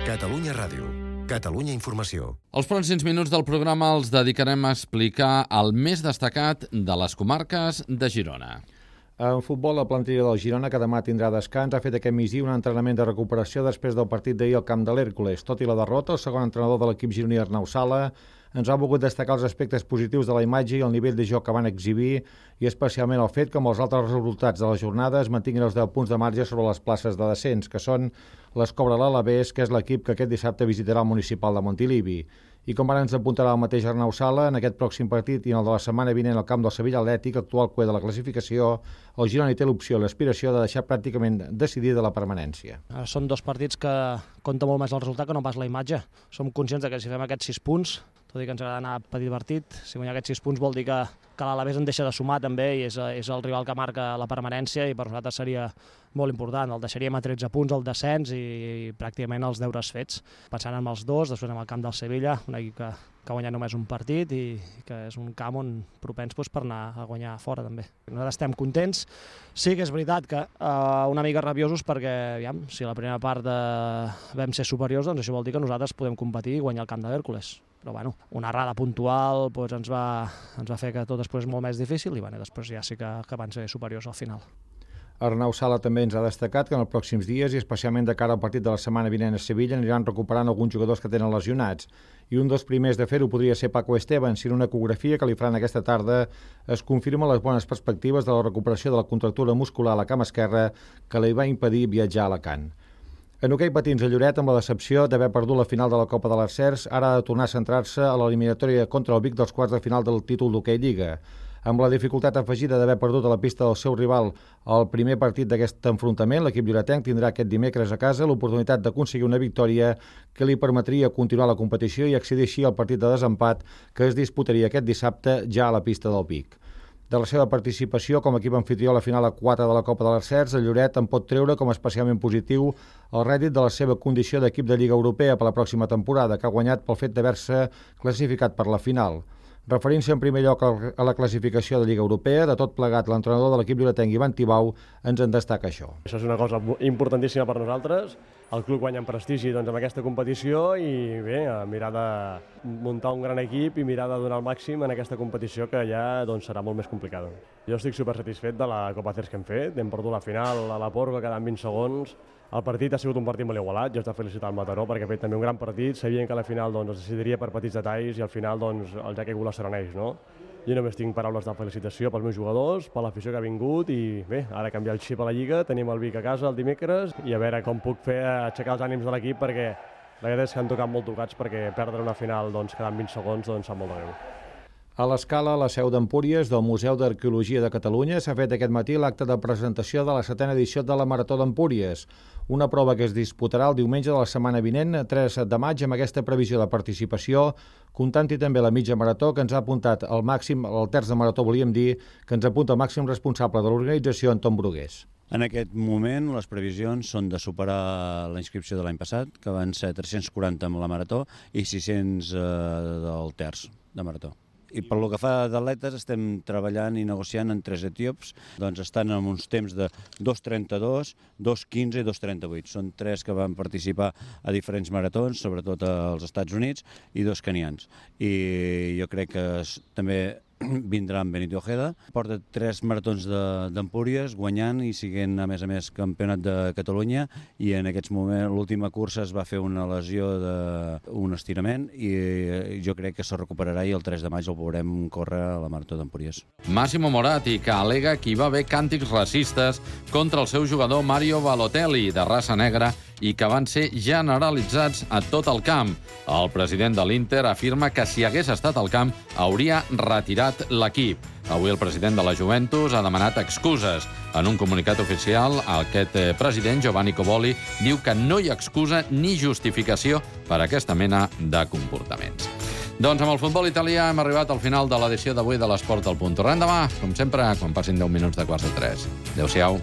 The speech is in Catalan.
Catalunya Ràdio. Catalunya Informació. Els pròxims minuts del programa els dedicarem a explicar el més destacat de les comarques de Girona. En futbol, la plantilla del Girona, que demà tindrà descans, ha fet aquest migdia un entrenament de recuperació després del partit d'ahir al camp de l'Hèrcules. Tot i la derrota, el segon entrenador de l'equip gironí, Arnau Sala, ens ha volgut destacar els aspectes positius de la imatge i el nivell de joc que van exhibir, i especialment el fet que amb els altres resultats de la jornada es mantinguin els 10 punts de marge sobre les places de descens, que són les Cobra l'Alavés, que és l'equip que aquest dissabte visitarà el municipal de Montilivi. I com ara ens apuntarà el mateix Arnau Sala, en aquest pròxim partit i en el de la setmana vinent al camp del Sevilla Atlètic, actual cuer de la classificació, el Girona hi té l'opció i l'aspiració de deixar pràcticament decidida la permanència. Són dos partits que compta molt més el resultat que no pas la imatge. Som conscients que si fem aquests 6 punts, tot i que ens agrada anar petit partit, si guanyar aquests 6 punts vol dir que l'Alavés en deixa de sumar també i és el rival que marca la permanència, i per nosaltres seria molt important. El deixaríem a 13 punts al descens i pràcticament els deures fets. Pensant en els dos, després en el camp del Sevilla, un equip que ha guanyat només un partit i que és un camp on propens per anar a guanyar fora també. Nosaltres estem contents. Sí que és veritat que una mica rabiosos perquè, aviam, si la primera part vam ser superiors, doncs això vol dir que nosaltres podem competir i guanyar el camp de l'Hèrcules. Però bueno, una errada puntual ens va fer que tot es posés molt més difícil i després ja sí que van ser superiors al final. Arnau Sala també ens ha destacat que en els pròxims dies, i especialment de cara al partit de la setmana vinent a Sevilla, aniran recuperant alguns jugadors que tenen lesionats. I un dels primers de fer-ho podria ser Paco Esteban, si en una ecografia que li faran aquesta tarda es confirma les bones perspectives de la recuperació de la contractura muscular a la cama esquerra que li va impedir viatjar a Alacant. En hoquei patins a Lloret, amb la decepció d'haver perdut la final de la Copa de l'Arcers, ara ha de tornar a centrar-se a l'eliminatòria contra el Vic dels quarts de final del títol d'hoquei Lliga. Amb la dificultat afegida d'haver perdut a la pista del seu rival el primer partit d'aquest enfrontament, l'equip lloretenc tindrà aquest dimecres a casa l'oportunitat d'aconseguir una victòria que li permetria continuar la competició i accedir així al partit de desempat que es disputaria aquest dissabte ja a la pista del Vic. De la seva participació com a equip anfitrió a la final a 4 de la Copa de l'Arcers, el Lloret en pot treure com a especialment positiu el rèdit de la seva condició d'equip de Lliga Europea per la pròxima temporada, que ha guanyat pel fet d'haver-se classificat per la final. Referint-se en primer lloc a la classificació de Lliga Europea, de tot plegat, l'entrenador de l'equip lloretenc, Ivan Tibau, ens en destaca això. Això és una cosa importantíssima per nosaltres. El club guanya en prestigi amb aquesta competició i bé, mirar de muntar un gran equip i mirar de donar el màxim en aquesta competició que ja serà molt més complicada. Jo estic supersatisfet de la Copa Cers que hem fet. Hem perdut la final a la Porga quedant 20 segons. El partit ha sigut un partit molt igualat, jo he de felicitar el Mataró perquè ha fet també un gran partit, sabien que a la final es decidiria per petits detalls i al final el ja que la sereneix, no? Jo només tinc paraules de felicitació pels meus jugadors, per l'afició que ha vingut i bé, ara canviar el xip a la Lliga, tenim el Vic a casa el dimecres i a veure com puc fer aixecar els ànims de l'equip perquè la veritat és que han tocat molt tocats perquè perdre una final quedant 20 segons sap molt de greu. A l'Escala, a la seu d'Empúries del Museu d'Arqueologia de Catalunya, s'ha fet aquest matí l'acte de presentació de la 7a edició de la Marató d'Empúries, una prova que es disputarà el diumenge de la setmana vinent, 3 de maig, amb aquesta previsió de participació, comptant-hi també la mitja marató, que ens ha apuntat el màxim, el terç de marató, volíem dir, que ens apunta el màxim responsable de l'organització, Anton Brugués. En aquest moment, les previsions són de superar la inscripció de l'any passat, que van ser 340 amb la marató i 600 del terç de marató. I per lo que fa d'atletes estem treballant i negociant en 3 etíops, estan en uns temps de 2.32, 2.15 i 2.38. Són 3 que van participar a diferents maratons, sobretot als Estats Units, i 2 canians. I jo crec que també vindrà en Benito Ojeda. Porta 3 maratons d'Empúries, guanyant i siguent, a més, campionat de Catalunya, i en aquests moments l'última cursa es va fer una lesió d'un estirament i jo crec que se recuperarà i el 3 de maig el veurem córrer a la Marató d'Empúries. Massimo Moratti, que al·lega que hi va haver càntics racistes contra el seu jugador Mario Balotelli, de raça negra, i que van ser generalitzats a tot el camp. El president de l'Inter afirma que si hagués estat al camp hauria retirat l'equip. Avui el president de la Juventus ha demanat excuses. En un comunicat oficial, aquest president, Giovanni Coboli, diu que no hi ha excusa ni justificació per a aquesta mena de comportaments. Doncs amb el futbol italià hem arribat al final de l'edició d'avui de l'Esport al Punt. Tornem demà, com sempre, quan passin 10 minuts de 2:45. Adéu-siau.